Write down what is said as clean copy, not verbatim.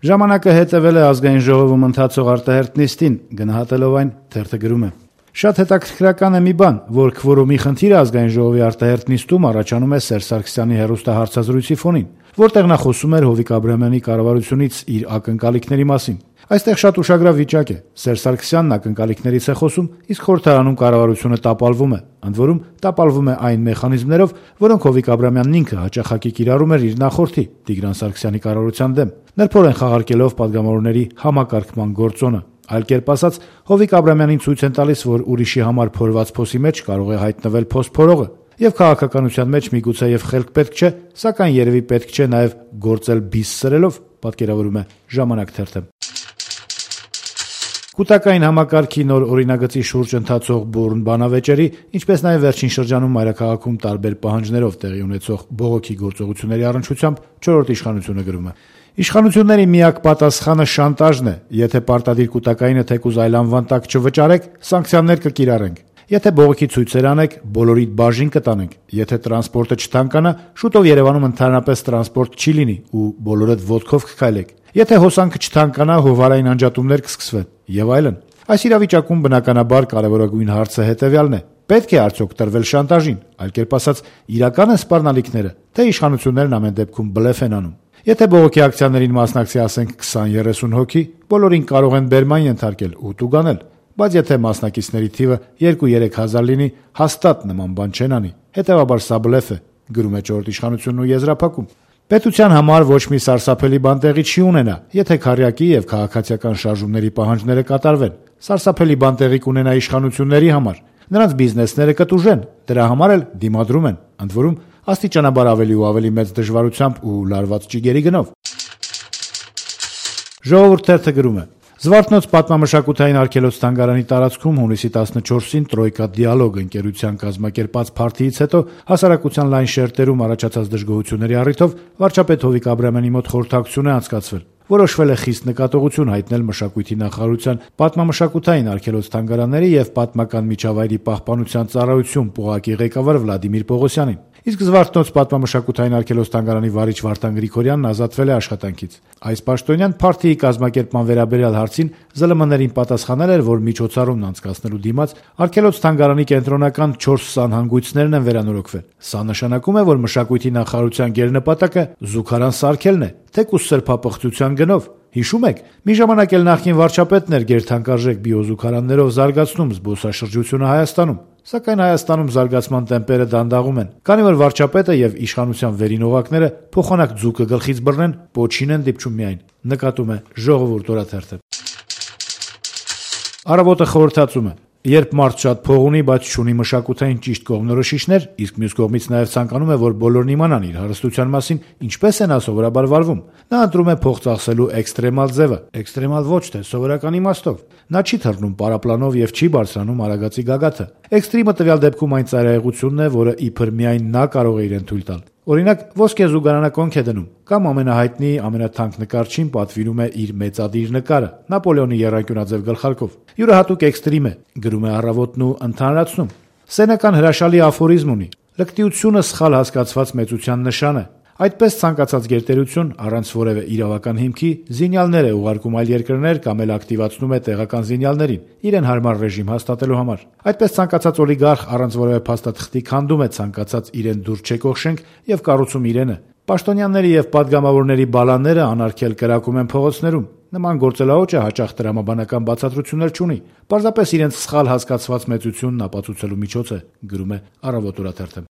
Ժամանակը հետևել է ազգային ժողովում ընթացող արտահերթ նիստին, գնահատելով այն թերթը գրում է. «Շատ հետաքրքրական է մի բան, որ քվորումի խնդիրը ազգային ժողովի արտահերթ նիստում առաջանում է Սերժ Սարգսյանի հեռուստահարցազրույցի ֆոնին, որտեղ նա խոսում էր Հովիկ Աբրահամյանի կառավարությունից իր ակնկալիքների մասին։ Այստեղ շատ ուշագրավ վիճակ է. Սերժ Սարգսյանն ակնկալիքներից է խոսում, իսկ խորհրդարանում կառավարությունը տապալվում է, ընդ որում տապալվում է այն մեխանիզմներով, որոնք Հովիկ Աբրահամյանն ինքը հաճախակի կիրառում էր իր նախորդի Տիգրան Սարգսյանի կառավարության դեմ, նրբորեն խաղարկելով պատգամավորների համակարգման գործոնը։ Այլ կերպ ասած, Հովիկ Աբրահամյանին ցույց են տալիս, որ ուրիշի համար փորված փոսի մեջ կարող է հայտնվել փոս փորողը, եւ քաղաքականության մեջ միգուցե եւ խելք պետք չէ, սակայն երևի պետք չէ նաեւ գործել բիս սրելով», պատկերավորում է Ժամանակ թերթը։ Կൂട്ടակային համակարգի նոր օրինագծի շուրջ ընթացող բուռն բանավեճերի, ինչպես նաև վերջին շրջանում մայրաքաղաքում տարբեր պահանջներով տեղի ունեցող բողոքի գործողությունների առնչությամբ չորրորդ իշխանությունը գրում է. «Իշխանությունների միակ պատասխանը շանտաժն է. եթե պարտադիր կൂട്ടակայինը թեկուզ այլ անվան տակ չվճարեք, սանկցիաներ կկիրառենք. եթե բողոքի ցույցեր անեք, բոլորիդ բաժին կտանենք. եթե տրանսպորտը չթանկանա, շուտով Երևանում ընդհանրապես տրանսպորտ չի լինի ու բոլորդ ոտքով կքայլեք. եթե հոսանքը չթանկանա, հովարային անջատումներ կսկսվեն եւ այլն։ Այս իրավիճակում բնականաբար կարևորագույն հարցը հետեւյալն է. պետք է արդյոք տրվել շանտաժին, այլ կերպ ասած, իրական են սպառնալիքները, թե իշխանություններն ամեն դեպքում բլեֆ են անում։ Եթե բողոքի ակցիաներին մասնակցի ասենք 20-30 հոգի, բոլորին կարող են բերման ենթարկել ու տուգանել, բայց եթե մասնակիցների թիվը 2-3 հազար լինի, հաստատ նման բան չեն անի։ Հետևաբար սա բլեֆ է», գրում է չորրորդ իշխանությունն ու եզրափակում. «Պետության համար ոչ մի սարսափելի բան տեղի չի ունենա, եթե քառյակի եւ քաղաքացիական շարժումների պահանջները կատարվեն։ Սարսափելի բան տեղի կունենա իշխանությունների համար։ Նրանց բիզնեսները կտուժեն, դրա համար էլ դիմադրում են, ընդ որում աստիճանաբար ավելի ու ավելի մեծ դժվարությամբ ու լարված ճիգերի գնով»։ Ժողովուրդ թերթը գրում է. «Զվարթնոց պատմամշակութային արգելոց-թանգարանի տարածքում հունիսի 14-ին Տրոյկա դիալոգ ընկերության կազմակերպած փարթիից հետո հասարակության լայն շերտերում առաջացած դժգոհությունների առիթով վարչապետ Հովիկ Աբրահամյանի մոտ խորհրդակցություն է անցկացվել։ Որոշվել է խիստ նկատողություն հայտնել մշակույթի նախարարության պատմամշակութային արգելոց-թանգարանների եւ պատմական միջավայրի պահպանության ծառայություն պողակի ղեկավար Վլադիմիր Պողոսյանին։ Իսկ Զվարթնոց պատմամշակութային արգելոց-թանգարանի վարիչ Վարդան Գրիգորյանն ազատվել է աշխատանքից։ Այս պաշտոնյան փարթիի կազմակերպման վերաբերյալ հարցին ԶԼՄ-ներին պատասխանել էր, որ միջոցառումն անցկացնելու դիմաց արգելոց-թանգարանի կենտրոնական 4 սանհանգույցներն են վերանորոգվել։ Սա նշանակում է, որ մշակույթի նախարարության գերնպատակը զուգարան սարքելն է, թեկուզ սրբապղծության գնով։ Հիշում եք, մի ժամանակ էլ նախկին վարչապետն էր գերթանկարժեք բիոզուգարաններով զարգացնում զբոսաշրջությունը Հայաստանում։ Սակայն Հայաստանում զարգացման տեմպերը դանդաղում են, քանի որ վարչապետը եւ իշխանության վերին օղակները փոխանակ ձուկը գլխից բռնեն, պոչին են դիպչում միայն», նկատում է Ժողովուրդ օրաթերթը։ Առավոտը խորհրդածում է. «Երբ մարդ շատ փող ունի, բայց չունի մշակութային ճիշտ կողմնորոշիչներ, իսկ մյուս կողմից նաև ցանկանում է, որ բոլորն իմանան իր հարստության մասին, ինչպես է նա սովորաբար վարվում։ Նա ընտրում է փող ծախսելու էքստրեմալ ձևը, էքստրեմալ ոչ թե սովորական իմաստով։ Նա չի թռնում պարապլանով եւ չի բարձրանում արագածի գագաթը։ Էքստրիմը տվյալ դեպքում այն ծայրահեղությունն է, որը իբր միայն նա կարող է իրեն թույլ տալ։ Օրինակ, ոսկե զուգարանակոնք է դնում, կամ ամենահայտնի, ամենաթանկ նկարչին պատվիրում է իր մեծադիր նկարը Նապոլեոնի եռանկյունաձև գլխարկով։ Յուրահատուկ էքստրիմ է», գրում է Առավոտն ու ընդհանրացնում. «Սենեկան հրաշալի աֆորիզմ ունի. լկտիությունը սխալ հասկացված մեծության նշան է։ Այդպես ցանկացած գերտերություն առանց որևէ իրավական հիմքի զինյալներ է ուղարկում այլ երկրներ կամ էլ ակտիվացնում է տեղական զինյալներին իրեն հարմար ռեժիմ հաստատելու համար։ Այդպես ցանկացած օլիգարխ առանց որևէ փաստաթղթի քանդում է ցանկացած իրեն դուր չեկող շենք եւ կառուցում իրենը։ Պաշտոնյաների եւ падգամավորների բալանները անարգել կրակում են փողոցներում։ Նման գործելաոճը հաճախ տրամաբանական բացատրություններ չունի։ Պարզապես իրենց սխալ հասկացված մեծությունն ապացուցելու միջոց է», գրում է Առավոտ օրաթերթը։